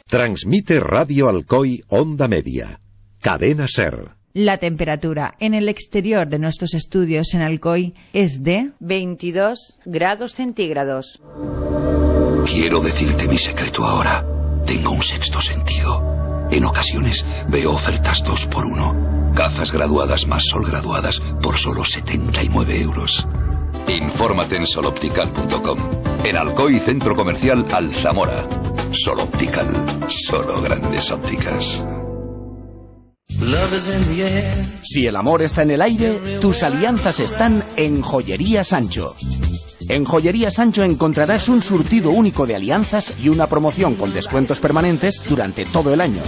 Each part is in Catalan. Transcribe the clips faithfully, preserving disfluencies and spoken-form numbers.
Transmite Radio Alcoy Onda Media. Cadena SER. La temperatura en el exterior de nuestros estudios en Alcoy es de veintidós grados centígrados. Quiero decirte mi secreto ahora. Tengo un sexto sentido. En ocasiones veo ofertas dos por uno. Gafas graduadas más sol graduadas por solo setenta y nueve euros. Infórmate en sol optical punto com. En Alcoy Centro Comercial Alzamora. Sol Optical. Solo grandes ópticas. Si el amor está en el aire, tus alianzas están en Joyería Sancho. En Joyería Sancho encontrarás un surtido único de alianzas y una promoción con descuentos permanentes durante todo el año.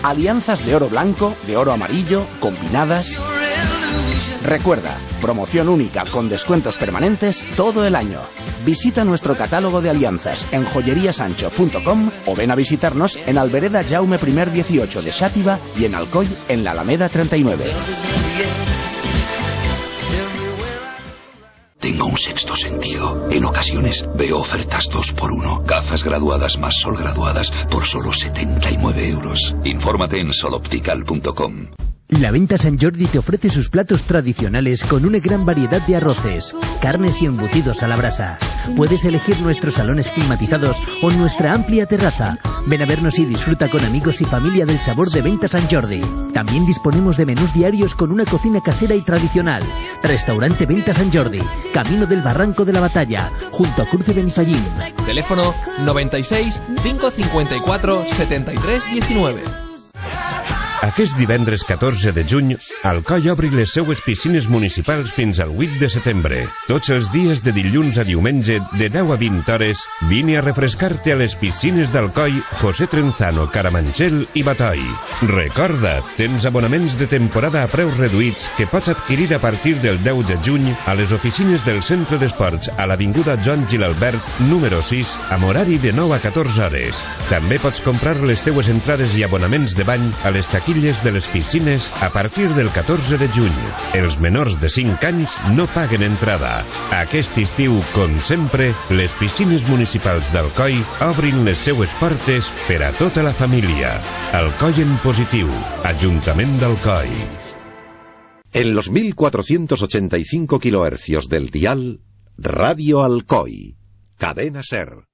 Alianzas de oro blanco, de oro amarillo, combinadas. Recuerda, promoción única con descuentos permanentes todo el año. Visita nuestro catálogo de alianzas en joyería sancho punto com o ven a visitarnos en Albereda Jaume I dieciocho de Xàtiva y en Alcoy en la Alameda treinta y nueve. Tengo un sexto sentido. En ocasiones veo ofertas dos por uno. Gafas graduadas más sol graduadas por solo setenta y nueve euros. Infórmate en sol optical punto com. La Venta San Jordi te ofrece sus platos tradicionales con una gran variedad de arroces, carnes y embutidos a la brasa. Puedes elegir nuestros salones climatizados o nuestra amplia terraza. Ven a vernos y disfruta con amigos y familia del sabor de Venta San Jordi. También disponemos de menús diarios con una cocina casera y tradicional. Restaurante Venta San Jordi, Camino del Barranco de la Batalla, junto a Cruce Benifallín. Teléfono noventa y seis, cinco cincuenta y cuatro, setenta y tres diecinueve. Aquest divendres catorze de juny, Alcoi obri les seues piscines municipals fins al vuit de setembre. Tots els dies de dilluns a diumenge, de deu a vint hores, vine a refrescar-te a les piscines d'Alcoi, José Trenzano, Carabanchel i Batoi. Recorda, tens abonaments de temporada a preus reduïts que pots adquirir a partir del deu de juny a les oficines del Centre d'Esports a l'Avinguda Joan Gilalbert, número sis, amb horari de nou a catorze hores. També pots comprar les teues entrades i abonaments de bany a les taquilles de les piscines a partir del catorze de juny. Els menors de cinc anys no paguen entrada. Aquest estiu, com sempre, les piscines municipals d'Alcoi obrin les seues portes per a tota la família. Alcoi en positiu. Ajuntament d'Alcoi. En los mil cuatrocientos ochenta y cinco kilohercios del dial, Radio Alcoy. Cadena SER.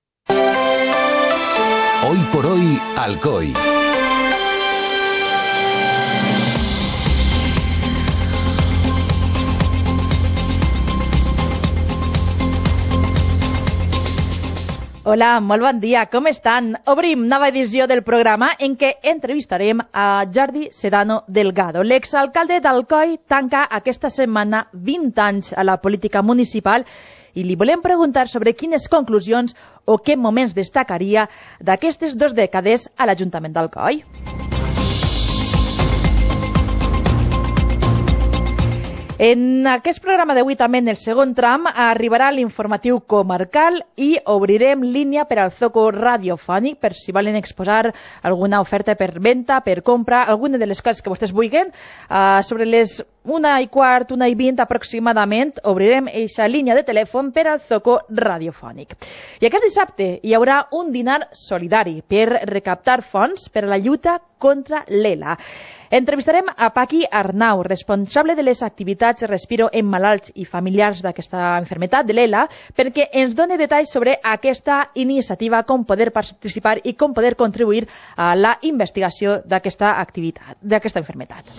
Hoy por hoy, Alcoy. Hola, molt bon dia, com estan? Obrim nova edició del programa en què entrevistarem a Jordi Sedano Delgado. L'exalcalde d'Alcoi tanca aquesta setmana vint anys a la política municipal i li volem preguntar sobre quines conclusions o què moments destacaria d'aquestes dues dècades a l'Ajuntament d'Alcoi. En aquest programa d'avui també, en el segon tram, arribarà l'informatiu comarcal i obrirem línia per al zoco radiofònic per si volen exposar alguna oferta per venda, per compra, alguna de les coses que vostès vulguin. Uh, sobre les una i quart, una i vint aproximadament, obrirem aquesta línia de telèfon per al zoco radiofònic. I aquest dissabte hi haurà un dinar solidari per recaptar fons per a la lluita contra l'ELA. Entrevistarem a Paqui Arnau, responsable de les activitats Respiro en malalts i familiars d'aquesta malaltia de l'ELA, perquè ens doni detalls sobre aquesta iniciativa, com poder participar i com poder contribuir a la investigació d'aquesta activitat, d'aquesta malaltia.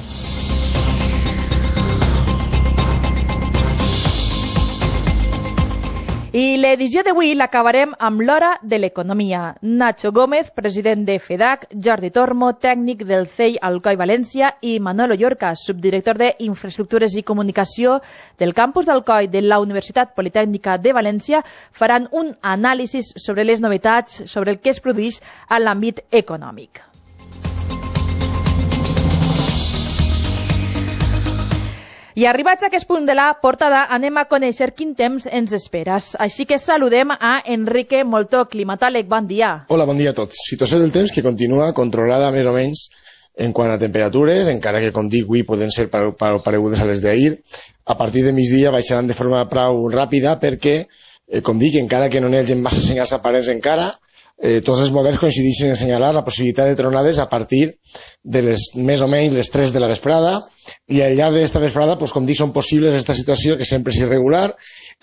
I l'edició d'avui l'acabarem amb l'hora de l'economia. Nacho Gómez, president de FEDAC, Jordi Tormo, tècnic del C E I Alcoi València i Manolo Llorca, subdirector d'Infraestructures i Comunicació del campus d'Alcoi de la Universitat Politècnica de València, faran un anàlisi sobre les novetats, sobre el que es produeix a l'àmbit econòmic. I arribats a aquest punt de la portada, anem a conèixer quin temps ens esperes. Així que saludem a Enrique Moltó, climatòleg. Bon dia. Hola, bon dia a tots. Situació del temps que continua controlada més o menys en quant a temperatures, encara que, com dic, avui poden ser paregudes a les d'ahir. A partir de migdia baixaran de forma prou ràpida perquè, eh, com dic, encara que no n'hi hagi massa senyals aparents encara, eh, tots els models coincideixen en assenyalar la possibilitat de tronades a partir de les més o menys les tres de la vesprada, i al llarg d'aquesta vesprada, pues, com dic, són possibles aquesta situació que sempre és irregular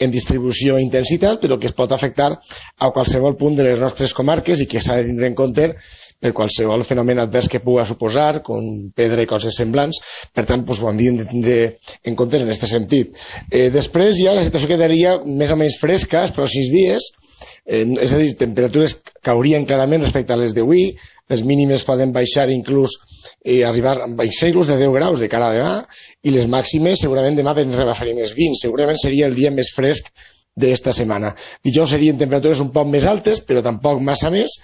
en distribució i intensitat, però que es pot afectar a qualsevol punt de les nostres comarques i que s'ha de tindre en compte per qualsevol fenomen advers que puga suposar, com pedra i coses semblants. Per tant, pues, ho hem de tindre en compte en aquest sentit. Eh, després ja la situació quedaria més o menys fresca els pròxims dies, eh, és a dir, temperatures caurien clarament respecte a les d'avui, les mínimes poden baixar inclús eh, arribar a baixar inclús de deu graus de cara a demà, i les màximes segurament demà ens rebaixarien els vint, segurament seria el dia més fresc d'esta setmana. Dijous serien temperatures un poc més altes, però tampoc massa més,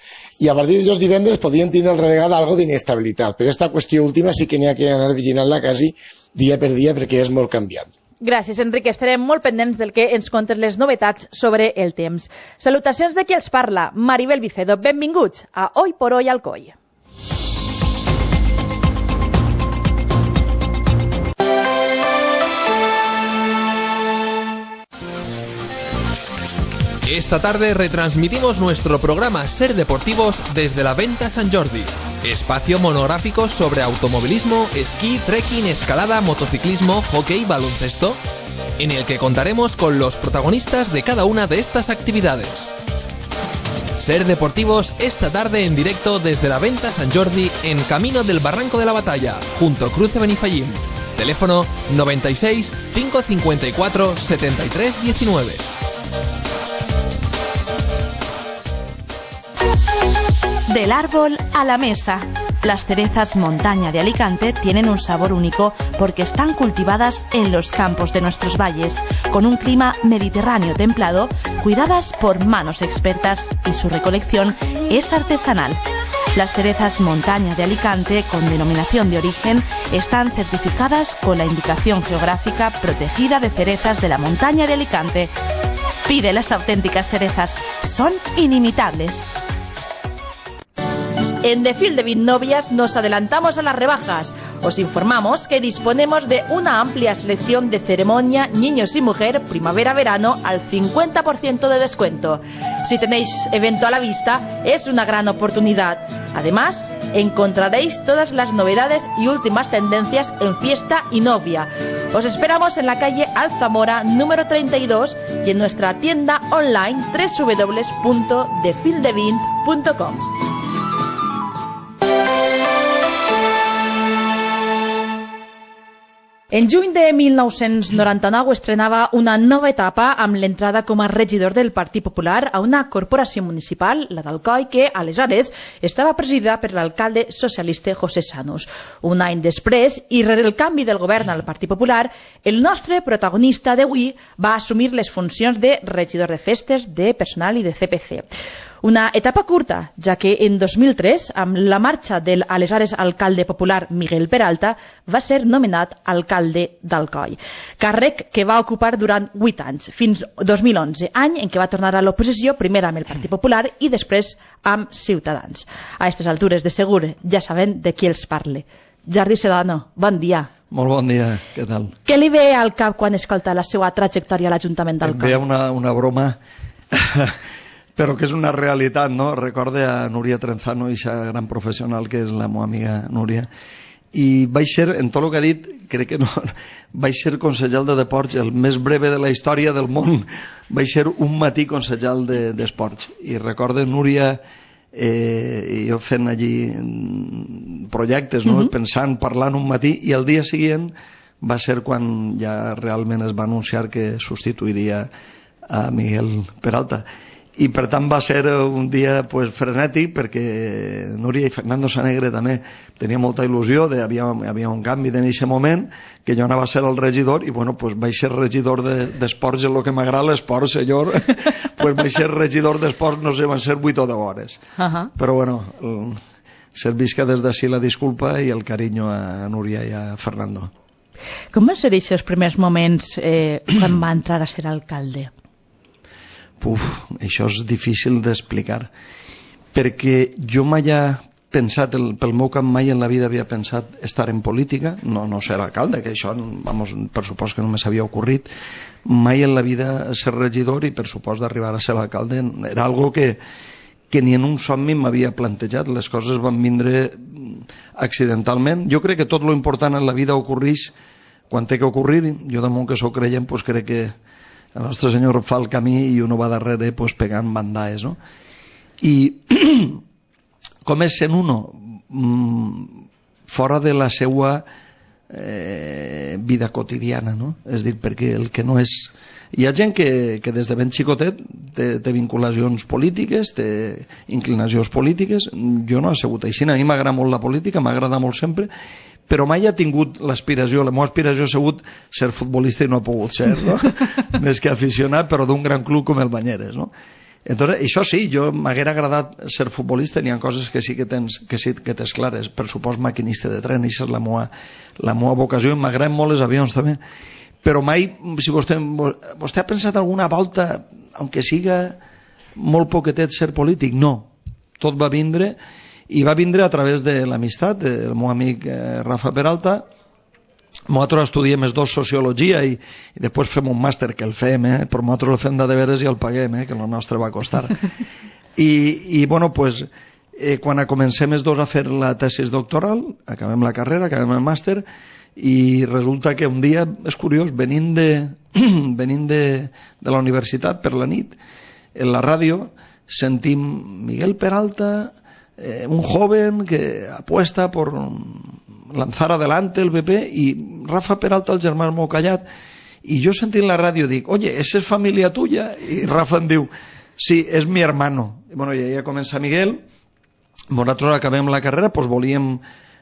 i a partir de dijous divendres podrien tindre altra vegada algo d'inestabilitat. Però aquesta qüestió última sí que n'hi ha que anar vigilant-la quasi dia per dia perquè és molt canviant. Gràcies, Enric. Estarem molt pendents del que ens contes les novetats sobre el temps. Salutacions de qui els parla, Maribel Vicedo. Benvinguts a Hoy por Hoy Alcoi. Esta tarde retransmitimos nuestro programa Ser Deportivos desde la Venta San Jordi, espacio monográfico sobre automovilismo, esquí, trekking, escalada, motociclismo, hockey, baloncesto, en el que contaremos con los protagonistas de cada una de estas actividades. Ser Deportivos esta tarde en directo desde la Venta San Jordi en Camino del Barranco de la Batalla, junto a Cruce Benifayín. Teléfono noventa y seis, cinco cincuenta y cuatro, setenta y tres diecinueve. Del árbol a la mesa. Las cerezas montaña de Alicante tienen un sabor único porque están cultivadas en los campos de nuestros valles, con un clima mediterráneo templado, cuidadas por manos expertas y su recolección es artesanal. Las cerezas montaña de Alicante, con denominación de origen, están certificadas con la indicación geográfica protegida de cerezas de la montaña de Alicante. Pide las auténticas cerezas, son inimitables. En The Field de Vinnovias nos adelantamos a las rebajas. Os informamos que disponemos de una amplia selección de ceremonia, niños y mujer, primavera-verano al cincuenta por ciento de descuento. Si tenéis evento a la vista, es una gran oportunidad. Además, encontraréis todas las novedades y últimas tendencias en fiesta y novia. Os esperamos en la calle Alzamora número treinta y dos y en nuestra tienda online doble u doble u doble u punto the field de vint punto com. En juny de mil nou-cents noranta-nou estrenava una nova etapa amb l'entrada com a regidor del Partit Popular a una corporació municipal, la d'Alcoi, que aleshores estava presidida per l'alcalde socialista José Sanus. Un any després, i rere el canvi del govern al Partit Popular, el nostre protagonista d'avui va assumir les funcions de regidor de festes, de personal i de C P C. Una etapa curta, ja que en dos mil tres, amb la marxa del aleshores alcalde popular Miguel Peralta, va ser nomenat alcalde d'Alcoi. Càrrec que va ocupar durant vuit anys, fins dos mil onze, any en què va tornar a l'oposició, primer amb el Partit Popular i després amb Ciutadans. A aquestes altures, de segur, ja saben de qui els parle. Jordi Sedano, bon dia. Molt bon dia, què tal? Què li ve al cap quan escolta la seva trajectòria a l'Ajuntament d'Alcoi? Em ve una, una broma... però que és una realitat, no? Recorde a Núria Trenzano, aquesta gran professional que és la meva amiga Núria, i vaig ser, en tot el que ha dit, crec que no, vaig ser consellal de deports, el més breve de la història del món, vaig ser un matí consellal d'esports, de, i recorde Núria, eh, jo fent allí projectes, no? Mm-hmm. Pensant, parlant un matí, i el dia següent va ser quan ja realment es va anunciar que substituiria a Miguel Peralta. I per tant va ser un dia pues, frenètic, perquè Núria i Fernando Sanegre també tenia molta il·lusió, de, havia, havia un canvi en aquest moment, que jo anava a ser el regidor, i bueno, pues, vaig ser regidor d'esports, de, en el que m'agrada l'esport, senyor, pues, vaig ser regidor d'esports, no sé, van ser vuit o deu hores. Uh -huh. Però bueno, el, servisca des d'ací la disculpa i el carinyo a Núria i a Fernando. Com van ser aquests primers moments eh, quan va entrar a ser alcalde? Uf, això és difícil d'explicar, perquè jo mai he pensat, el, pel meu cap mai en la vida havia pensat estar en política, no, no ser alcalde, que això, vamos, per supost que no me s'havia ocorrit, mai en la vida ser regidor i per supost d'arribar a ser alcalde, era algo que, que ni en un somni m'havia plantejat. Les coses van vindre accidentalment. Jo crec que tot lo important en la vida ocorreix quan té que ocorrir. Jo damunt que sóc creient, pues crec que el nostre Senyor fa el camí i uno va darrere pues, pegant bandaes, no? I com és sent uno fora de la seva eh, vida quotidiana, no? És dir, perquè el que no és... Hi ha gent que, que des de ben xicotet té, té vinculacions polítiques, té inclinacions polítiques. Jo no he sigut així. A mi m'agrada molt la política, m'agrada molt sempre, però mai ha tingut l'aspiració, la meva aspiració ha sigut ser futbolista i no ha pogut ser, no? Més que aficionat, però d'un gran club com el Banyeres, no? Entonces, això sí, jo m'haguera agradat ser futbolista, n'hi ha coses que sí que tens, que sí que tens clares, per supost maquinista de tren, això és la meva, la meva vocació, i m'agraden molt els avions també, però mai, si vostè, vostè ha pensat alguna volta, aunque siga molt poquetet ser polític? No, tot va vindre, i va vindre a través de l'amistat del meu amic eh, Rafa Peralta. Nosaltres estudiem els dos sociologia i, i després fem un màster que el fem, eh? Però nosaltres el fem de deberes i el paguem, eh? Que el nostre va costar. I, i bueno, pues, eh, quan comencem els dos a fer la tesis doctoral, acabem la carrera, acabem el màster, i resulta que un dia, és curiós, venint de, venint de, de la universitat per la nit, en la ràdio sentim Miguel Peralta, eh, un joven que apuesta por lanzar adelante el B P, i Rafa Peralta, el germà molt callat, i jo sentint la ràdio dic, oye, ¿esa es familia tuya? I Rafa em diu, sí, és mi hermano. I bueno, ja comença Miguel, nosaltres acabem la carrera, pues volíem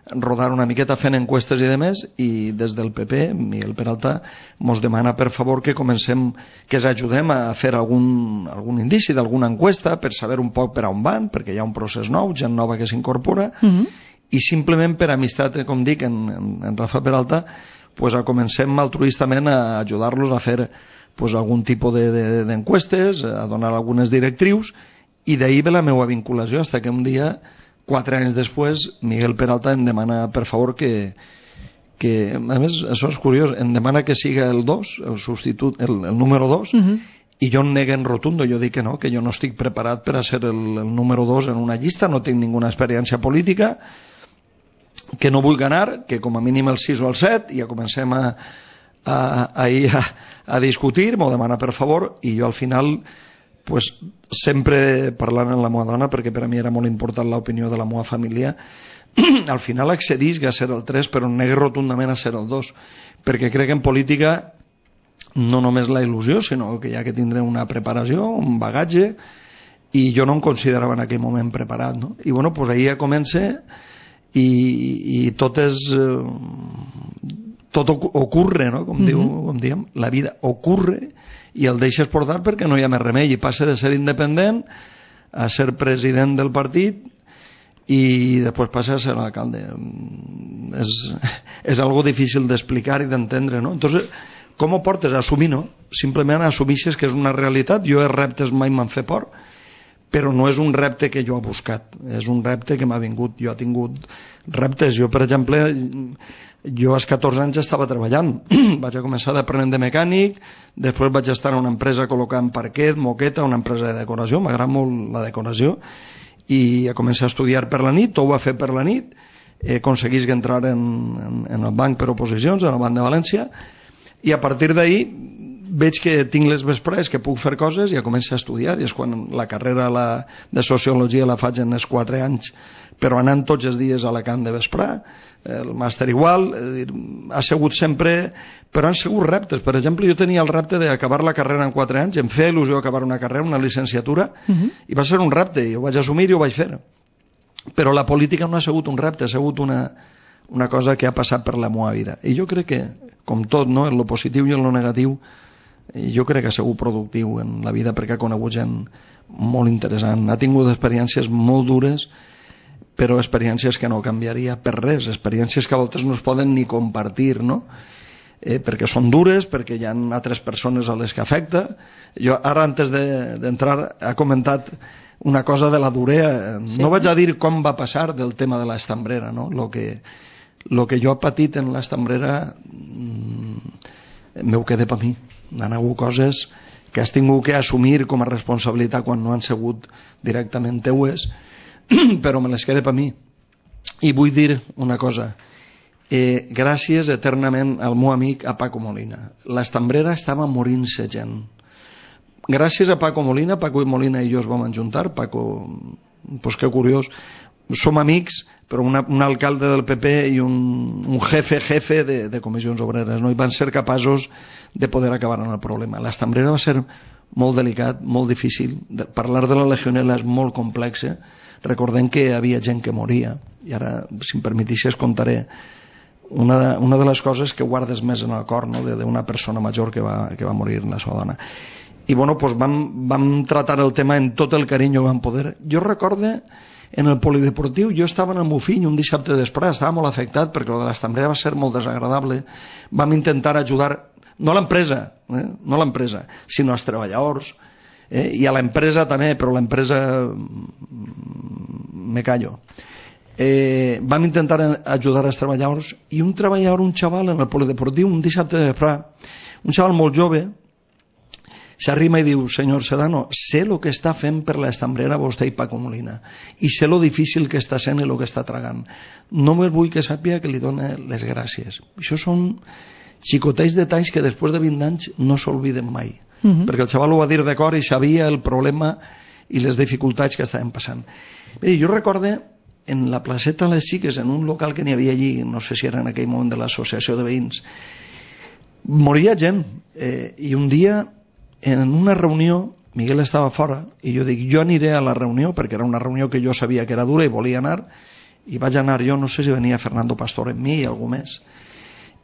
rodar una miqueta fent encuestes i demés, i des del P P, Miguel Peralta mos demana per favor que comencem, que ens ajudem a fer algun, algun indici d'alguna encuesta per saber un poc per on van, perquè hi ha un procés nou, gent nova que s'incorpora, mm-hmm. i simplement per amistat, com dic, en, en, en Rafa Peralta, pues, a comencem altruistament a ajudar-los a fer pues, algun tipus d'encuestes, de, de, a donar algunes directrius, i d'ahir ve la meva vinculació, fins que un dia, quatre anys després, Miguel Peralta em demana, per favor, que, que a més, això és curiós, em demana que siga el dos, el substitut, el, el número dos, uh-huh. i jo em neguen rotundo, jo dic que no, que jo no estic preparat per a ser el, el número dos en una llista, no tinc ninguna experiència política, que no vull ganar, que com a mínim el sis o el set, i ja comencem a, a, a, a, a discutir, m'ho demana per favor, i jo al final, pues, sempre parlant amb la meva dona, perquè per a mi era molt important l'opinió de la meva família, al final accedís a ser el tres, però negue rotundament a ser el dos, perquè crec que en política no només la il·lusió, sinó que hi ha que tindre una preparació, un bagatge, i jo no em considerava en aquell moment preparat, no? I bueno, pues ahir ja comença, i, i tot és eh, tot ocurre, no? Com, mm-hmm. diu, com diem, la vida ocurre i el deixes portar perquè no hi ha més remei, i passa de ser independent a ser president del partit i després passa a ser alcalde. És, és algo difícil d'explicar i d'entendre, no? Entonces, com ho portes? Assumir, no? Simplement assumixes que és una realitat. Jo els reptes mai m'han fet por, però no és un repte que jo he buscat, és un repte que m'ha vingut. Jo he tingut reptes. Jo, per exemple, jo als catorze anys estava treballant. Vaig a començar d'aprenent de mecànic, després vaig estar en una empresa col·locant parquet, moqueta, una empresa de decoració, m'agrada molt la decoració, i a començar a estudiar per la nit, tot ho va fer per la nit, eh, aconseguís entrar en, en, en el banc per oposicions, en el Banc de València, i a partir d'ahir veig que tinc les vesprades, que puc fer coses, i ja començo a estudiar, i és quan la carrera la, de sociologia la faig en els quatre anys, però anant tots els dies a Alacant de vesprà, el màster igual, dir, ha sigut sempre, però han sigut reptes. Per exemple, jo tenia el repte d'acabar la carrera en quatre anys, em feia il·lusió acabar una carrera, una licenciatura, uh-huh. i va ser un repte, i ho vaig assumir i ho vaig fer. Però la política no ha sigut un repte, ha sigut una, una cosa que ha passat per la meva vida. I jo crec que, com tot, no, en lo positiu i en lo negatiu, jo crec que ha sigut productiu en la vida perquè ha conegut gent molt interessant. Ha tingut experiències molt dures, però experiències que no canviaria per res, experiències que a voltes no es poden ni compartir, no? Eh, perquè són dures, perquè hi ha altres persones a les que afecta. Jo ara, antes d'entrar, de, ha comentat una cosa de la durea. Sí. No vaig a dir com va passar del tema de l'estambrera, no? Lo que, lo que jo he patit en l'estambrera mmm, m'ho quedé per mi. Han hagut coses que has tingut que assumir com a responsabilitat quan no han sigut directament teues, però me les quede per mi. I vull dir una cosa, eh, gràcies eternament al meu amic a Paco Molina. L'Estambrera estava morint-se gent. Gràcies a Paco Molina, Paco Molina i jo es vam ajuntar. Paco, pues que curiós, som amics, però una, un alcalde del P P i un, un jefe jefe de, de comissions obreres, no? I van ser capaços de poder acabar amb el problema. L'Estambrera va ser molt delicat, molt difícil. De, parlar de la legionela és molt complex. Recordem que hi havia gent que moria, i ara, si em permetixes, contaré una de, una de les coses que guardes més en el cor, no? D'una persona major que va, que va morir la seva dona. I bueno, pues vam, vam tratar el tema en tot el carinyo que vam poder. Jo recorde en el polideportiu, jo estava en el meu fill un dissabte després, estava molt afectat perquè el de l'Estambrera va ser molt desagradable. Vam intentar ajudar, no a l'empresa, eh? no a l'empresa, sinó als treballadors, eh? i a l'empresa també, però l'empresa me callo. Eh, vam intentar ajudar als treballadors, i un treballador, un xaval en el polideportiu, un dissabte de vesprà, un xaval molt jove, s'arrima i diu: senyor Sedano, sé el que està fent per l'Estambrera vostè i Paco Molina, i sé lo difícil que està sent i el que està tragant. Només vull que sàpiga que li done les gràcies. Això són xicotets detalls que després de vint anys no s'olviden mai, uh-huh. perquè el xaval ho va dir de cor i sabia el problema i les dificultats que estaven passant. Mira, jo recorde en la placeta Les Xiques, en un local que n'hi havia allí, no sé si era en aquell moment de l'associació de veïns, moria gent, eh, i un dia en una reunió, Miguel estava fora, i jo dic, jo aniré a la reunió, perquè era una reunió que jo sabia que era dura i volia anar, i vaig anar jo, no sé si venia Fernando Pastor amb mi i algú més,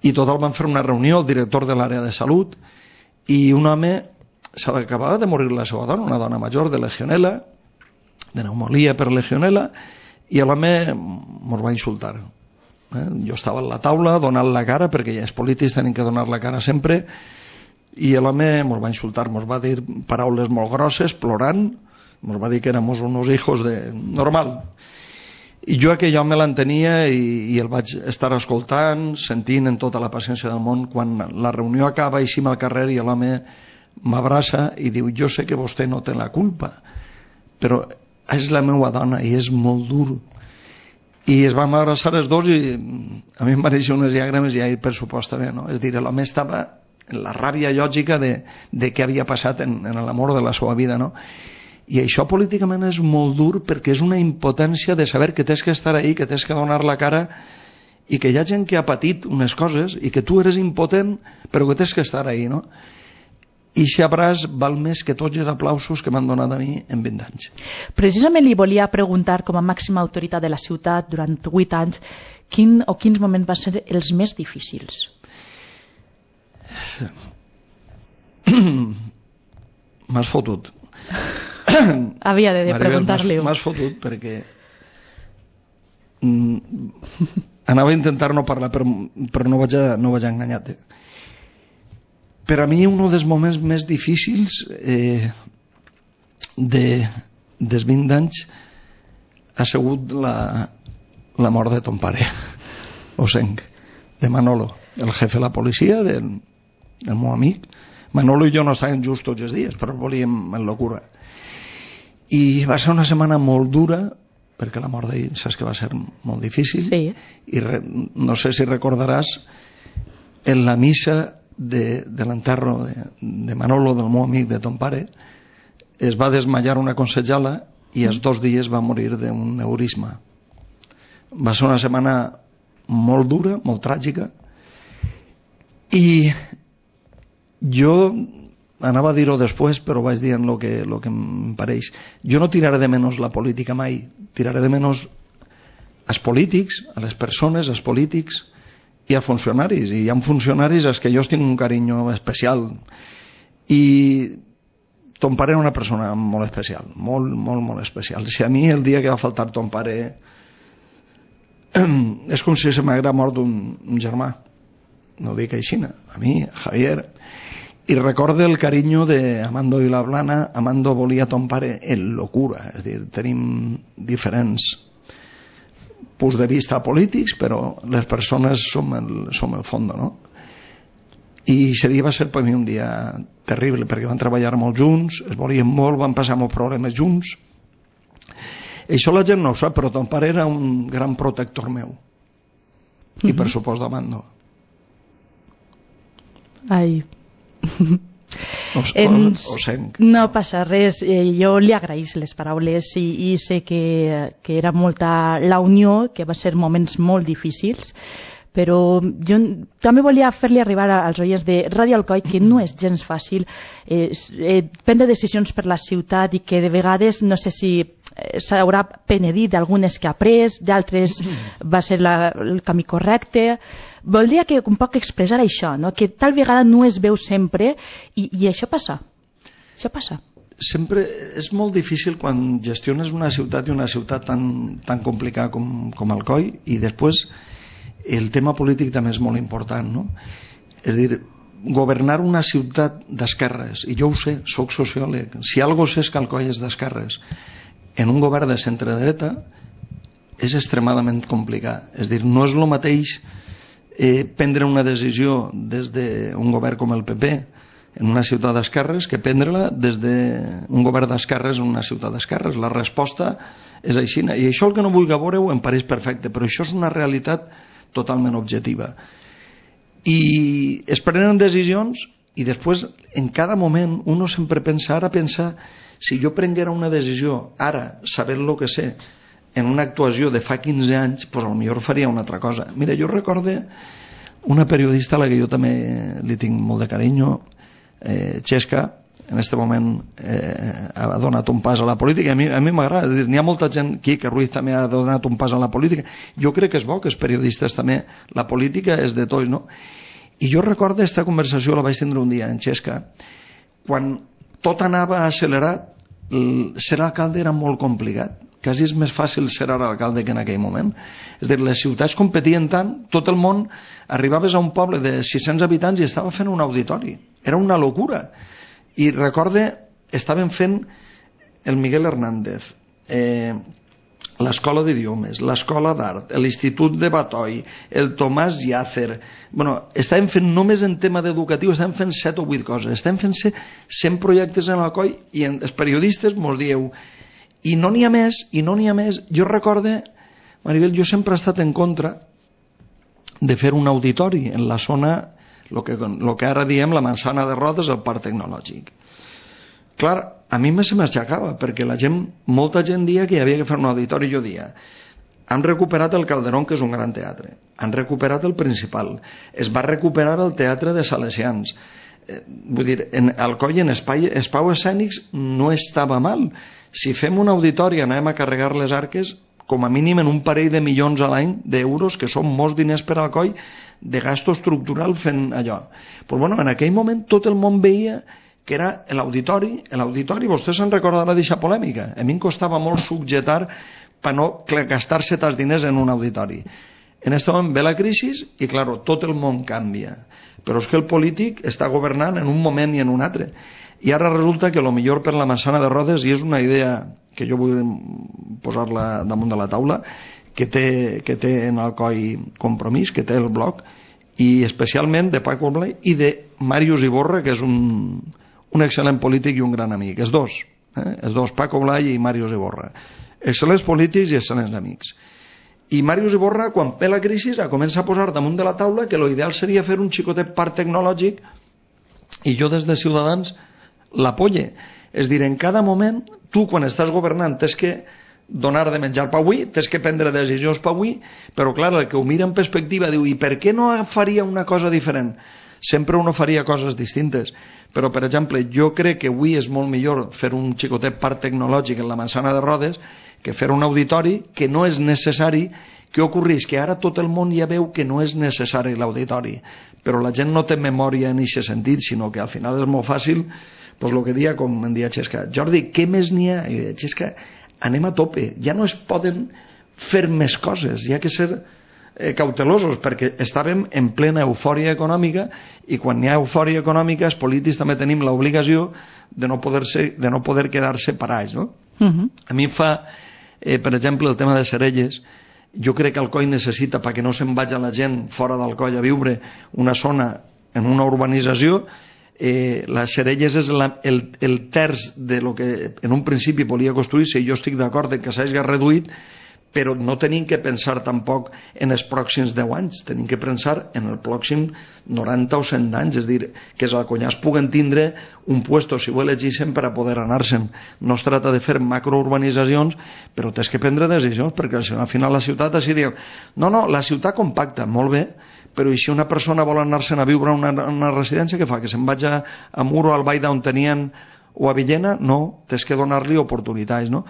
i total van fer una reunió, el director de l'àrea de salut, i un home, s'acabava de morir la seva dona, una dona major de legionela, de pneumonia per legionela, i l'home mos va insultar. Eh? Jo estava a la taula donant la cara, perquè ja els polítics tenen que donar la cara sempre, i l'home mos va insultar, mos va dir paraules molt grosses, plorant, mos va dir que éramos unos hijos de... normal. I jo aquell home l'entenia i, i el vaig estar escoltant, sentint en tota la paciència del món. Quan la reunió acaba, eixim al carrer i l'home m'abraça i diu: jo sé que vostè no té la culpa, però és la meva dona i és molt dur. I es vam abraçar els dos i a mi em van eixir unes llàgrimes i ahir per supost també, no? És dir, l'home estava en la ràbia lògica de, de què havia passat en, en l'amor de la seva vida, no? I això políticament és molt dur perquè és una impotència de saber que tens que estar ahí, que tens que donar la cara i que hi ha gent que ha patit unes coses i que tu eres impotent però que tens que estar ahí, no? I si abraç val més que tots els aplausos que m'han donat a mi en vint anys. Precisament li volia preguntar, com a màxima autoritat de la ciutat durant vuit anys, quin o quins moments van ser els més difícils? M'has fotut. Havia de preguntar-li. M'has fotut perquè anava a intentar no parlar, però, però no vaig a, no vaig a enganyar-te. Per a mi un dels moments més difícils eh, de, dels vint anys ha sigut la, la mort de ton pare, Osenc, de Manolo, el jefe de la policia, del, del meu amic. Manolo i jo no estàvem just tots els dies, però volíem en locura. I va ser una setmana molt dura, perquè la mort d'ell saps que va ser molt difícil, sí. I re, no sé si recordaràs en la missa de, de l'enterro de, de Manolo, del meu amic, de ton pare, es va desmayar una consellala i els dos dies va morir d'un neurisma. Va ser una setmana molt dura, molt tràgica, i jo anava a dir-ho després, però vaig dir en el que, lo que em pareix. Jo no tiraré de menys la política mai, tiraré de menys als polítics, a les persones, als polítics i als funcionaris. I hi ha funcionaris als que jo tinc un carinyo especial. I ton pare era una persona molt especial, molt, molt, molt especial. Si a mi el dia que va faltar ton pare és com si se m'haguera mort un, un germà. No ho dic així, a mi, a Javier. I recorde el carinyo de Amando i la Blana. Amando volia ton pare en locura, és a dir, tenim diferents punts de vista polítics, però les persones som el, som el fons, no? I aquest dia va ser per mi un dia terrible, perquè van treballar molt junts, es volien molt, van passar molts problemes junts. Això la gent no ho sap, però ton pare era un gran protector meu. I per supost d'Amando. Ai... Ho, Ens... ho sent. No passa res, eh, jo li agraïs les paraules i, i sé que, que era molta la unió, que va ser moments molt difícils, però jo també volia fer-li arribar als oients de Ràdio Alcoi que no és gens fàcil eh, eh, prendre decisions per la ciutat i que de vegades no sé si eh, s'haurà penedit d'algunes que ha pres, d'altres va ser la, el camí correcte. Voldria que un poc expressar això, no? Que tal vegada no es veu sempre i, i això passa. Això passa. Sempre és molt difícil quan gestiones una ciutat i una ciutat tan, tan complicada com, com Alcoi, i després el tema polític també és molt important, no? És a dir, governar una ciutat d'esquerres, i jo ho sé, soc sociòleg, si algo sé és que Alcoi és d'esquerres, en un govern de centre-dreta és extremadament complicat. És a dir, no és el mateix eh, prendre una decisió des d'un govern com el P P en una ciutat d'esquerres que prendre-la des d'un govern d'esquerres en una ciutat d'esquerres. La resposta és així, i això el que no vull veure-ho em pareix perfecte, però això és una realitat totalment objectiva. I es prenen decisions i després en cada moment uno sempre pensa, ara pensa, si jo prenguera una decisió ara, sabent el que sé, en una actuació de fa quinze anys, doncs potser faria una altra cosa. Mira, jo recorde una periodista a la que jo també li tinc molt de carinyo, eh, Xesca, en aquest moment eh, ha donat un pas a la política. A mi, a mi m'agrada, n'hi ha molta gent aquí que Ruiz també ha donat un pas a la política. Jo crec que és bo que els periodistes també, la política és de tots, no? I jo recordo aquesta conversació, la vaig tindre un dia en Xesca, quan tot anava accelerat, ser alcalde era molt complicat. Quasi és més fàcil ser ara alcalde que en aquell moment. És a dir, les ciutats competien tant, tot el món, arribaves a un poble de sis-cents habitants i estava fent un auditori. Era una locura. I recorde, estaven fent el Miguel Hernández, eh, l'escola d'idiomes, l'escola d'art, l'Institut de Batoi, el Tomàs Llàcer. Bueno, estaven fent només en tema d'educatiu, estaven fent set o vuit coses, estaven fent cent projectes en Alcoi i en, els periodistes mos dieu, i no n'hi ha més, i no n'hi ha més. Jo recorde, Maribel, jo sempre he estat en contra de fer un auditori en la zona, el que, lo que ara diem la Manzana de Rodes, el parc tecnològic. Clar, a mi se m'aixecava, perquè la gent, molta gent dia que hi havia que fer un auditori, jo dia, han recuperat el Calderón, que és un gran teatre, han recuperat el Principal, es va recuperar el Teatre de Salesians, eh, vull dir, en Alcoi, en espai, espais escènics, no estava mal. Si fem un auditori, anem a carregar les arques, com a mínim en un parell de milions a l'any d'euros, que són molts diners per Alcoi, de gasto estructural fent allò. Però bueno, en aquell moment tot el món veia que era l'auditori, l'auditori, vostès se'n recordarà d'aquesta polèmica. A mi em costava molt subjetar per no gastar-se tants diners en un auditori. En aquest moment ve la crisi i, clar, tot el món canvia. Però és que el polític està governant en un moment i en un altre. I ara resulta que el millor per la Manzana de Rodes, i és una idea que jo vull posar-la damunt de la taula, que té, que té en Alcoi Compromís, que té el blog, i especialment de Paco Blai i de Màrius Iborra, que és un, un excel·lent polític i un gran amic. Els dos, eh? els dos, Paco Blai i Màrius Iborra. Excel·lents polítics i excel·lents amics. I Màrius Iborra, quan ve la crisi, comença a posar damunt de la taula que l'ideal seria fer un xicotet parc tecnològic, i jo des de Ciutadans l'apoye. És dir, en cada moment, tu quan estàs governant tens que donar de menjar per avui, tens que prendre decisions per avui, però clar, el que ho mira en perspectiva diu, i per què no faria una cosa diferent? Sempre uno faria coses distintes, però per exemple, jo crec que avui és molt millor fer un xicotet parc tecnològic en la Manzana de Rodes que fer un auditori, que no és necessari. Què ocorreix? Que ara tot el món ja veu que no és necessari l'auditori, però la gent no té memòria en aquest sentit, sinó que al final és molt fàcil, doncs el que dia, com em dia Xesca, Jordi, què més n'hi ha? I Xesca, anem a tope, ja no es poden fer més coses, hi ha que ser eh, cautelosos, perquè estàvem en plena eufòria econòmica, i quan hi ha eufòria econòmica els polítics també tenim l'obligació de no poder, ser, de no poder quedar-se parats, no? Uh-huh. A mi fa, eh, per exemple, el tema de Cerelles, jo crec que Alcoi necessita, perquè no se'n vagi la gent fora d'Alcoi a viure, una zona en una urbanització eh, les Xerelles és la, el, el terç de lo que en un principi volia construir-se, i jo estic d'acord en que s'hagi reduït, però no tenim que pensar tampoc en els pròxims deu anys, tenim que pensar en el pròxim noranta o cent anys, és dir, que els alconyars puguen tindre un puesto, si ho elegeixen, per a poder anar-se'n. No es tracta de fer macrourbanitzacions, però tens que prendre decisions, perquè al final la ciutat així diu, no, no, la ciutat compacta, molt bé, però i si una persona vol anar-se'n a viure a una, una residència, què fa? Que se'n vagi a, a Muro, al Baida, on tenien, o a Villena? No, tens que donar-li oportunitats, no?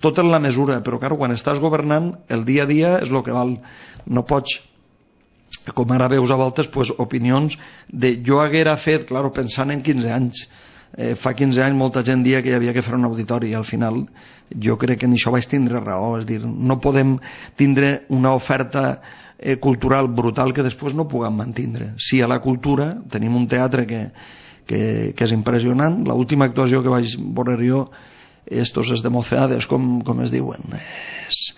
Tot en la mesura, però clar, quan estàs governant, el dia a dia és el que val. No pots, com ara veus a voltes, pues, opinions de jo haguera fet, clar, pensant en quinze anys. Eh, fa quinze anys molta gent dia que hi havia que fer un auditori, i al final jo crec que en això vaig tindre raó, és dir, no podem tindre una oferta eh, cultural brutal que després no puguem mantindre. Sí, a la cultura tenim un teatre que, que, que és impressionant. L'última actuació que vaig veure jo, estos es de Mocedades, com, com es diuen? Es,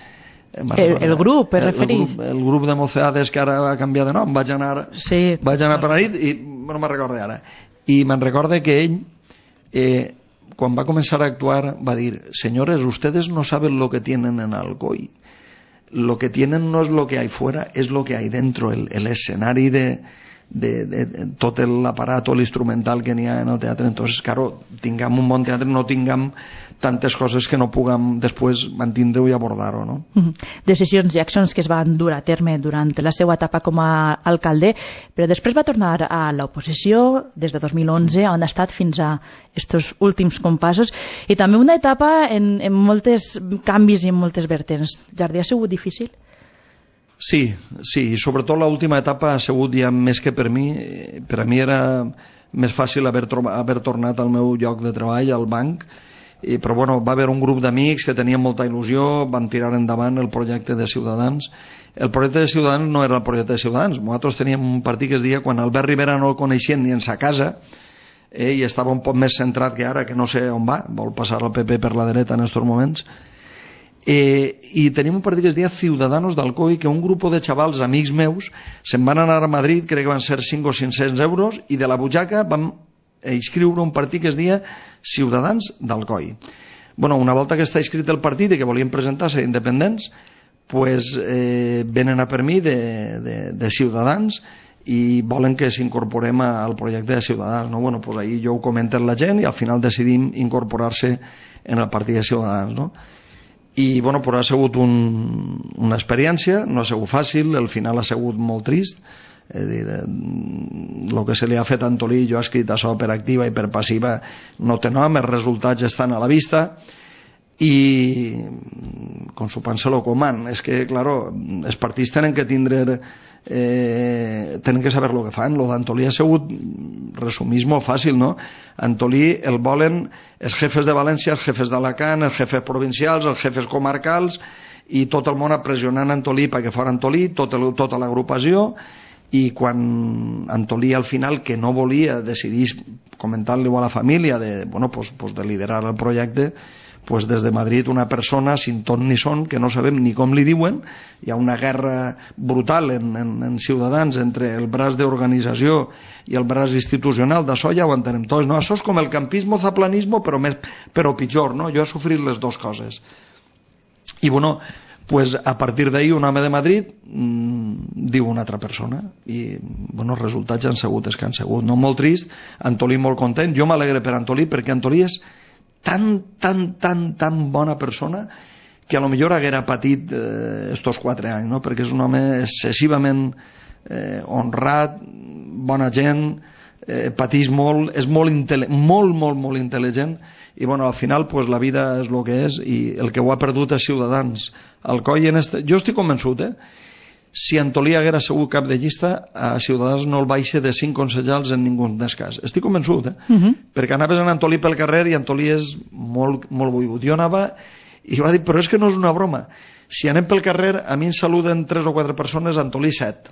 el, el grup, es referís? El, el, el grup de Mocedades, que ara va canviar de nom. Vaig anar, sí. vaig anar per la nit i no me'n recordo ara. I me'n recordo que ell, eh, quan va començar a actuar, va dir: señores, ustedes no saben lo que tienen en Alcoy. Lo que tienen no es lo que hay fuera, es lo que hay dentro, el, el escenari de... De, de, de tot l'aparato, l'instrumental que n'hi ha en el teatre. Entonces, claro, tinguem un bon teatre, no tinguem tantes coses que no puguem després mantindre-ho i abordar-ho, no? Mm-hmm. Decisions i accions que es van dur a terme durant la seva etapa com a alcalde, però després va tornar a l'oposició des de dos mil onze, on ha estat fins a estos últims compassos, i també una etapa en, en moltes canvis i en moltes vertents. Jardí, ha sigut difícil? Sí, sí, i sobretot l'última etapa ha sigut ja més que per mi. Per a mi era més fàcil haver, haver tornat al meu lloc de treball, al banc, i, però bueno, va haver un grup d'amics que tenien molta il·lusió, van tirar endavant el projecte de Ciutadans. El projecte de Ciutadans no era el projecte de Ciutadans. Nosaltres teníem un partit que es deia, quan Albert Rivera no el coneixien ni en sa casa, eh, i estava un poc més centrat que ara, que no sé on va, vol passar el P P per la dreta en aquests moments. Eh, i tenim un partit que es deia Ciudadanos d'Alcoy, que un grup de xavals, amics meus, se'n van anar a Madrid, crec que van ser cinc o cinc-cents euros, i de la butxaca vam inscriure un partit que es deia Ciutadans d'Alcoy. Bueno, una volta que està inscrit el partit i que volien presentar-se independents, pues, eh, venen a per mi de, de, de Ciutadans i volen que s'incorporem al projecte de Ciutadans, no? Bueno, pues ahí jo ho comento amb la gent i al final decidim incorporar-se en el partit de Ciutadans, no? I bueno, però ha sigut un, una experiència, no ha sigut fàcil, el final ha sigut molt trist, és dir, el que se li ha fet a Antolí, jo he escrit això per activa i per passiva, no té nom, els resultats estan a la vista, i com s'ho pensa lo coman, és que, claro, els partits tenen que tindre, eh, tenen que saber lo que fan. Lo d'Antolí ha sigut, resumís molt fàcil, no? Antolí el volen els jefes de València, els jefes d'Alacant, els jefes provincials, els jefes comarcals, i tot el món pressionant Antolí perquè fora Antolí, tot el, tota l'agrupació, i quan Antolí al final, que no volia, decidís comentar-li a la família de, bueno, pues, pues de liderar el projecte, pues des de Madrid una persona sin ton ni son, que no sabem ni com li diuen, hi ha una guerra brutal en, en, en Ciutadans entre el braç d'organització i el braç institucional, d'això ja ho entenem tots, no? Això és com el campismo zaplanismo, però, més, però pitjor, no? Jo he sofrit les dues coses. I bueno, pues a partir d'ahí un home de Madrid mmm, diu una altra persona, i bueno, els resultats han sigut els que han sigut, no? Molt trist, Antolí molt content, jo m'alegre per Antolí, perquè Antolí és tan, tan, tan, tan bona persona que a lo millor haguera patit eh, estos quatre anys, no? Perquè és un home excessivament eh, honrat, bona gent, eh, patís molt, és molt, molt, molt, molt intel·ligent, i bueno, al final pues, la vida és el que és, i el que ho ha perdut és Ciutadans. Alcoy en este... Jo estic convençut, eh? Si Antolí haguera sigut cap de llista, a Ciutadans no el baixa de cinc concejals en ningú dels cas. Estic convençut, eh? Uh-huh. Perquè anaves en Antolí pel carrer i Antolí és molt, molt volgut. Jo anava i va dir, però és que no és una broma. Si anem pel carrer, a mi em saluden tres o quatre persones, Antolí set.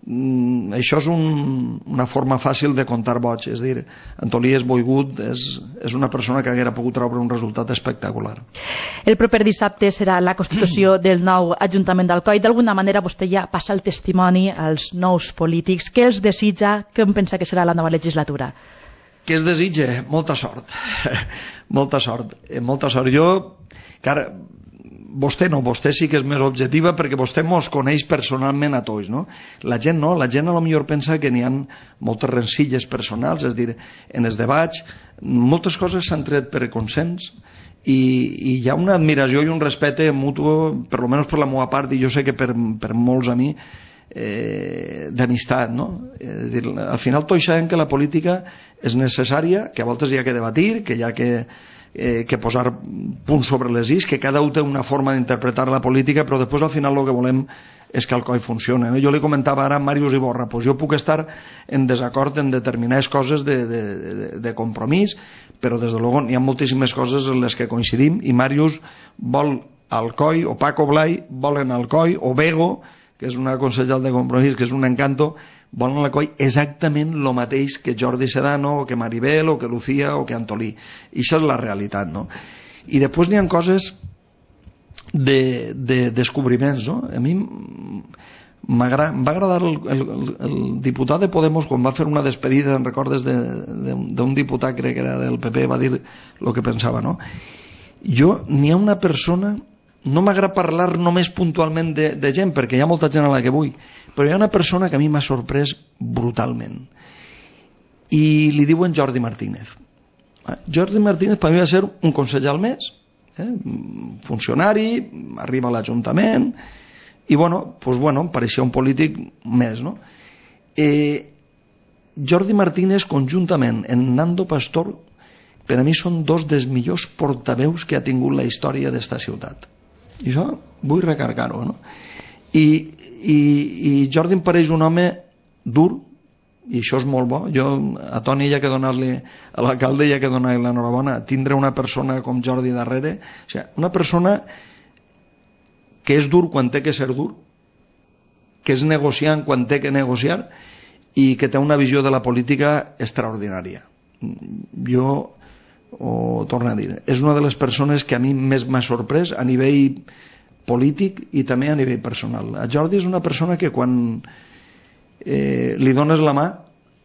Mm, això és un, una forma fàcil de comptar boig, és dir, Antolí és boigut, és, és una persona que haguera pogut treure un resultat espectacular. El proper dissabte serà la constitució del nou Ajuntament d'Alcoi. D'alguna manera vostè ja passa el testimoni als nous polítics. Què els desitja? Què em pensa que serà la nova legislatura? Què es desitja? Molta sort. molta sort. Molta sort. Jo, cara, vostè no, vostè sí que és més objectiva perquè vostè mos coneix personalment a tots, no? La gent no, la gent a lo millor pensa que n'hi ha moltes rencilles personals, és a dir, en els debats moltes coses s'han tret per consens i, i hi ha una admiració i un respecte mutu, per lo menos per la meva part, i jo sé que per, per molts a mi, eh, d'amistat, no? És dir, al final tots sabem que la política és necessària, que a voltes hi ha que debatir, que hi ha que Eh, que posar punts sobre les is, que cada un té una forma d'interpretar la política, però després al final el que volem és que el C O I funcioni, no? Jo li comentava ara a Màrius Iborra, pues jo puc estar en desacord en determinades coses de, de, de, de compromís, però des de luego n'hi ha moltíssimes coses en les que coincidim, i Màrius vol al C O I, o Paco Blai volen al C O I, o Bego, que és una consellera de compromís, que és un encanto, volen al C O I exactament el mateix que Jordi Sedano, o que Maribel, o que Lucía, o que Antolí. I això és la realitat, no? I després n'hi ha coses de, de descobriments, no? A mi em va agradar el, el, el diputat de Podemos quan va fer una despedida, en recordes d'un diputat, crec que era del P P, va dir el que pensava, no? Jo, n'hi ha una persona, no m'agrada parlar només puntualment de, de gent, perquè hi ha molta gent a la que vull, però hi ha una persona que a mi m'ha sorprès brutalment, i li diuen Jordi Martínez. Jordi Martínez per mi va ser un concejal més, eh? funcionari, arriba a l'Ajuntament, i bueno, pues bueno, em pareixia un polític més, no? Eh, Jordi Martínez conjuntament amb Nando Pastor, per a mi són dos dels millors portaveus que ha tingut la història d'esta ciutat, i això vull recargar-ho, no? I, i, i Jordi em pareix un home dur, i això és molt bo. Jo a Toni hi ha que donar-li, a l'alcalde hi ha que donar-li l'enhorabona, tindre una persona com Jordi darrere, o sigui, una persona que és dur quan té que ser dur, que és negociant quan té que negociar, i que té una visió de la política extraordinària. Jo ho torno a dir, és una de les persones que a mi més m'ha sorprès a nivell polític i també a nivell personal. A Jordi és una persona que quan eh, li dones la mà,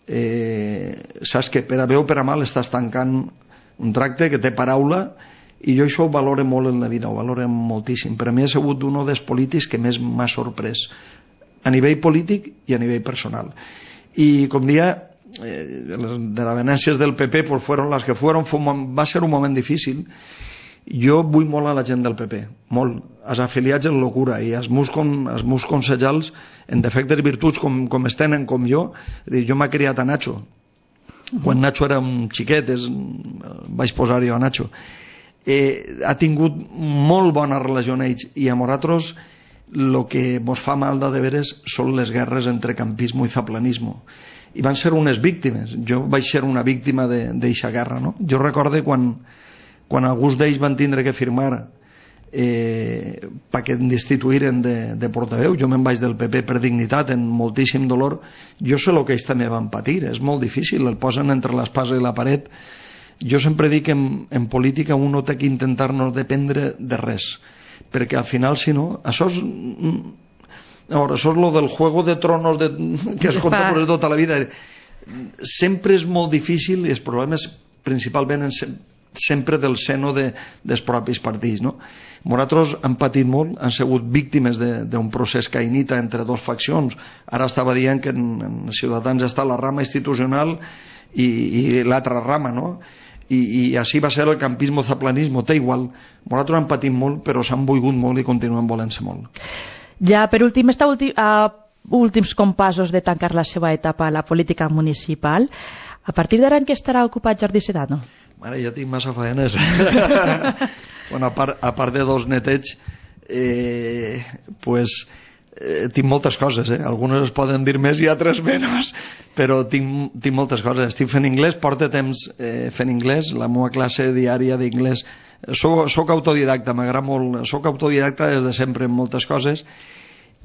eh, saps que per a bé o per a mal estàs tancant un tracte, que té paraula, i jo això ho valoro molt en la vida, ho valoro moltíssim. Per a mi ha sigut un dels polítics que més m'ha sorprès a nivell polític i a nivell personal. I com dia, eh, les desavenències del P P pues fueron las que fueron, va ser un moment difícil. Jo vull molt a la gent del P P, molt, als afiliats en locura, i als meus, con, als meus consellals en defectes i virtuts com, com es tenen com jo. Jo m'ha criat a Nacho, quan Nacho era un xiquet, és, vaig posar jo a Nacho. Eh, ha tingut molt bona relació amb ells, i a nosaltres el que mos fa mal de veres són les guerres entre campismo i zaplanismo, i van ser unes víctimes. Jo vaig ser una víctima d'eixa guerra, no? Jo recorde quan quan alguns d'ells van tindre que firmar eh, perquè em destituïren de, de portaveu, jo me'n vaig del P P per dignitat, en moltíssim dolor. Jo sé el que ells també van patir, és molt difícil, el posen entre l'espasa i la paret. Jo sempre dic que en, en política un no té que intentar no dependre de res, perquè al final, si no, això és, ara, això és lo del Juego de Tronos de, que es conta per tota la vida. Sempre és molt difícil, i els problemes principalment en sempre del seno de, dels propis partits, no? Nosaltres hem patit molt, han sigut víctimes d'un procés caïnita entre dues faccions. Ara estava dient que en, en Ciutadans està la rama institucional i, i l'altra rama, no? I, i així va ser el campismo-zaplanismo, té igual. Nosaltres hem patit molt, però s'han volgut molt i continuen volent-se molt. Ja, per últim, està últim, a últims compassos de tancar la seva etapa a la política municipal. A partir d'ara en què estarà ocupat Jordi Sedano? Mare, ja tinc massa faenes. Bueno, a part, a part de dos netets, eh, pues, eh, tinc moltes coses, eh? Algunes es poden dir més i altres menys, però tinc, tinc moltes coses. Estic fent anglès, porto temps eh, fent anglès, la meva classe diària d'inglès. Soc, soc autodidacta, m'agrada molt, soc autodidacta des de sempre en moltes coses,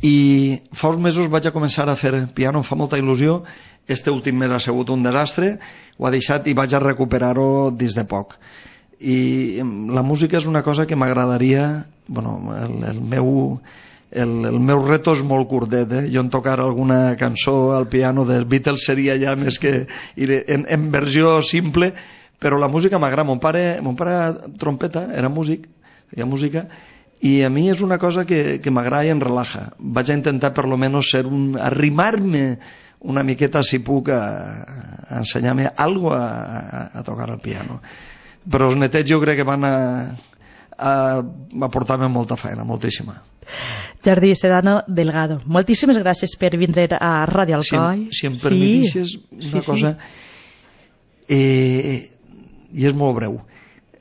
i fa uns mesos vaig a començar a fer piano, em fa molta il·lusió. Este últim mes ha sigut un desastre, ho ha deixat i vaig a recuperar-ho des de poc. I la música és una cosa que m'agradaria, bueno, el, el meu el, el meu reto és molt curtet, eh? Jo en tocar alguna cançó al piano dels Beatles seria ja més que en, en versió simple, però la música m'agrada. Mon pare, mon pare trompeta, era músic, feia música, i a mi és una cosa que, que m'agrada i em relaja. Vaig a intentar per lo menos ser un, arrimar-me una miqueta, si puc, a, a ensenyar-me algo a, a, a tocar el piano. Però els netets jo crec que van a, a, a portar-me molta feina, moltíssima. Jordi Sedano Delgado, moltíssimes gràcies per vindre a Ràdio Alcoi. Si, si em permetissis sí, una sí, cosa, sí. Eh, i és molt breu.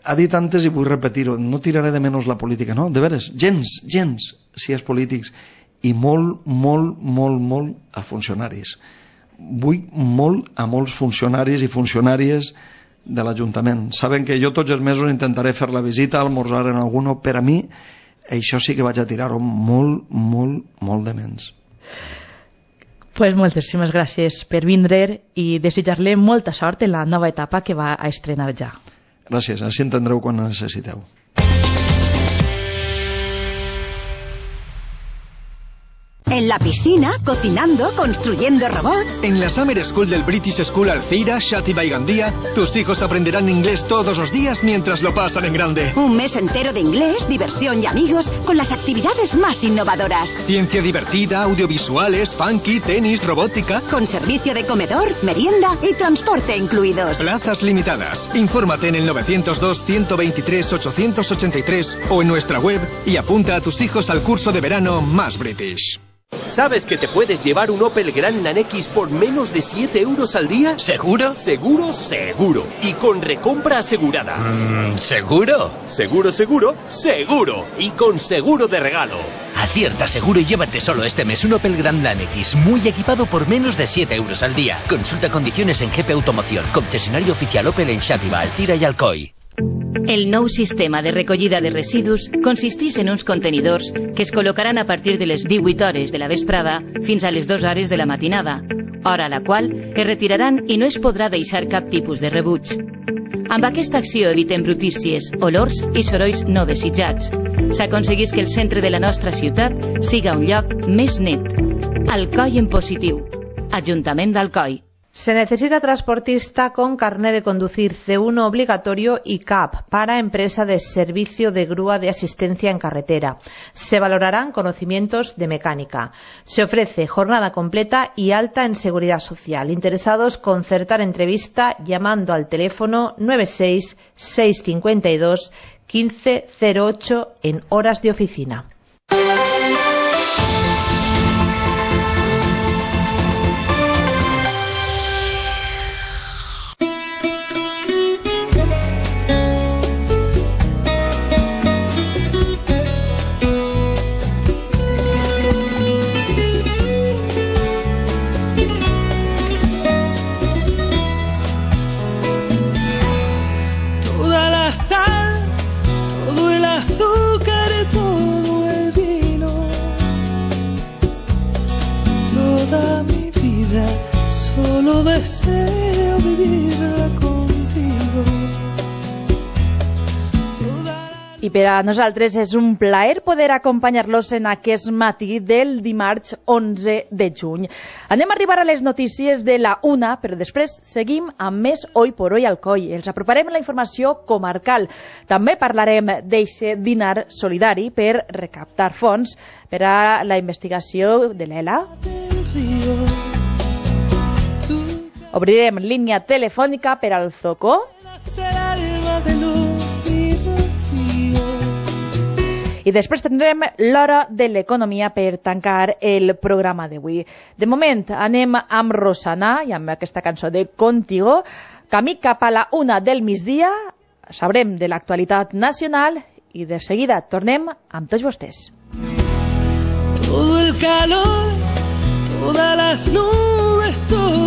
Ha dit antes i vull repetir-ho, no tiraré de menys la política, no? De veres, gens, gens, si és polítics, i molt, molt, molt, molt als funcionaris. Vull molt a molts funcionaris i funcionàries de l'Ajuntament. Saben que jo tots els mesos intentaré fer la visita, almorzar en alguno, per a mi això sí que vaig a tirar-ho molt, molt, molt de menys. Pues moltíssimes gràcies per vindre i desitjar-li molta sort en la nova etapa que va a estrenar ja. Gràcies, així entendreu quan necessiteu. En la piscina, cocinando, construyendo robots. En la Summer School del British School Alcira, Xàtiva y Gandía, tus hijos aprenderán inglés todos los días mientras lo pasan en grande. Un mes entero de inglés, diversión y amigos con las actividades más innovadoras. Ciencia divertida, audiovisuales, funky, tenis, robótica. Con servicio de comedor, merienda y transporte incluidos. Plazas limitadas. Infórmate en el nueve cero dos, ciento veintitrés, ochocientos ochenta y tres o en nuestra web y apunta a tus hijos al curso de verano Más British. ¿Sabes que te puedes llevar un Opel Grandland X por menos de siete euros al día? ¿Seguro? Seguro, seguro. Y con recompra asegurada. Mm, ¿Seguro? Seguro, seguro, seguro. Y con seguro de regalo. Acierta seguro y llévate solo este mes un Opel Grandland X, muy equipado por menos de siete euros al día. Consulta condiciones en G P Automoción, concesionario oficial Opel en Xàtiva, Alcira i Alcoi. El nou sistema de recollida de residus consisteix en uns contenidors que es col·locaran a partir de les divuit hores de la vesprada fins a les dues hores de la matinada, hora a la qual es retiraran i no es podrà deixar cap tipus de rebuig. Amb aquesta acció evitem brutícies, olors i sorolls no desitjats. S'aconsegueix que el centre de la nostra ciutat siga un lloc més net. Alcoi en positiu. Ajuntament d'Alcoi. Se necesita transportista con carné de conducir C uno obligatorio y C A P para empresa de servicio de grúa de asistencia en carretera. Se valorarán conocimientos de mecánica. Se ofrece jornada completa y alta en seguridad social. Interesados, concertar entrevista llamando al teléfono nueve seis seis cinco dos uno cinco cero ocho en horas de oficina. Deseo vivirla contigo. I per a nosaltres és un plaer poder acompanyar-los en aquest matí del dimarts onze de juny. Anem a arribar a les notícies de la una, però després seguim amb més Hoy por Hoy Alcoi. Els aproparem la informació comarcal. També parlarem d'eixe dinar solidari per recaptar fons per a la investigació de l'Ela. Obrirem línia telefònica per al Zoco. I després tindrem l'hora de l'economia per tancar el programa d'avui. De moment anem amb Rosana i amb aquesta cançó de Contigo. Camí cap a la una del migdia, sabrem de l'actualitat nacional i de seguida tornem amb tots vostès. Todo el calor, todas las nubes, todo